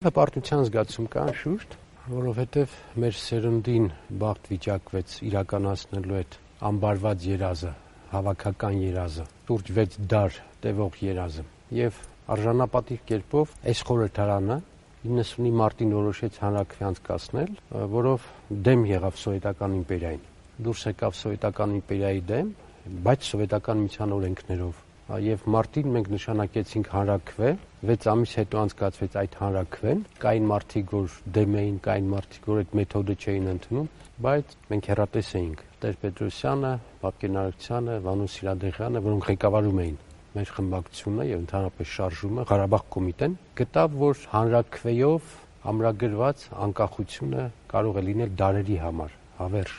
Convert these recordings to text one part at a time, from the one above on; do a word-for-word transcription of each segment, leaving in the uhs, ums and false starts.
Հպարտության զգացում կա անշուշտ, որովհետև մեր սերնդին բախտ վիճակվեց իրականացնելու այդ ամբարված երազը, հավաքական երազը, շուրջ վեց դար տևող երազը եւ արժանապատիվ կերպով այս խորհրդարանը իննսունի մարտին որոշեց հանրաքվե անցկացնել, որով դեմ եղավ սովետական իմպերիային, դուրս եկավ սովետական իմպերիայի դեմ, բայց սովետական միության օրենքներով եւ մարտին մենք նշանակեցինք հանրաքվե, վեց ամիս հետո անցկացվեց այդ հանրաքվեն, կային մարդիկ, որ դեմ էին, կային մարդիկ, որ այդ մեթոդը չէին ընդունում, բայց մենք հեռատես էինք Տեր-Պետրոսյանը, Բաբկեն Արաքցյանը, Վանո Սիրադեղյանը, որոնք ղեկավարում էին մեր խմբակցությունը եւ ընդհանրապես շարժումը, Ղարաբաղ կոմիտեն, գտավ, որ հանրաքվեով ամրագրված անկախությունը կարող է լինել դարերի համար, հավերժ,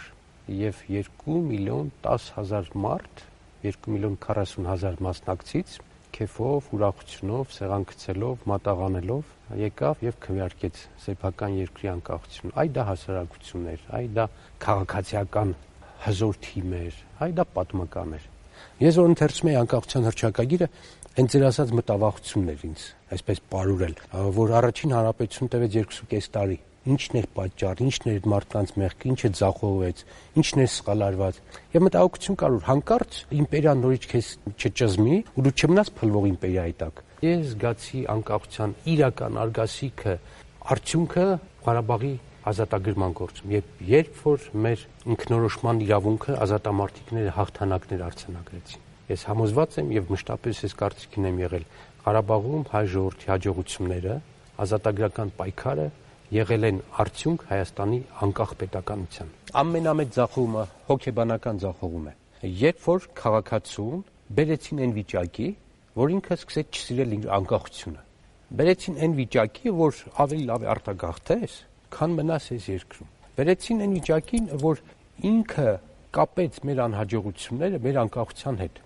եւ երկու միլիոն տասը հազար մարդ, երկու միլիոն քառասուն հազար մասնակցից քեֆով, ուրախությունով, սեղան գցելով, մատաղանելով եկավ եւ քվեարկեց սեփական երկրի անկախությունը։ Այ դա հասարակություն էր, այ դա քաղաքացիական հզոր թիմ էր, այ դա պատմական էր։ Ես որ ընթերցում էի անկախության հռչակագիրը, հենց ձեր ասած մտավախությունն էր ինձ այսպես պարուրել, որ առաջին հանրապետություն տևեց երկուսուկես տարի։ Ինչն էր պատճառը, ինչն էր այդ մարդկանց մեղքը, ինչը ձախողվեց, ինչն էր սխալ արված։ Եվ մտահոգություն կար, որ հանկարծ իմպերիան նորից քեզ չճզմի ու դու չմնաս փլվող իմպերիայի տակ։ Ես զգացի անկախության իրական արգասիքը, արդյունքը Ղարաբաղի ազատագրման գործում։ Երբ երբ որ մեր ինքնորոշման իրավունքը ազատամարտիկները հաղթանակներ արձանագրեցին։ Ես համոզված եմ եւ մշտապես այս կարծիքին եմ եղել, Ղարաբաղում հայ ժողովրդի հաջողությունները, ազատագրական պայքարը եղել են արդյունք Հայաստանի անկախ պետականության։ Ամենամեծ ձախողումը հոգեբանական ձախողում է։ Երբ որ քաղաքացուն բերեցին այն վիճակի, որ ինքը սկսեց չսիրել իր անկախությունը։ Բերեցին այն վիճակի, որ ավելի լավ է արտագաղթես, քան մնաս այս երկրում։ Բերեցին այն վիճակին, որ ինքը կապեց մեր անհաջողությունները մեր անկախության հետ։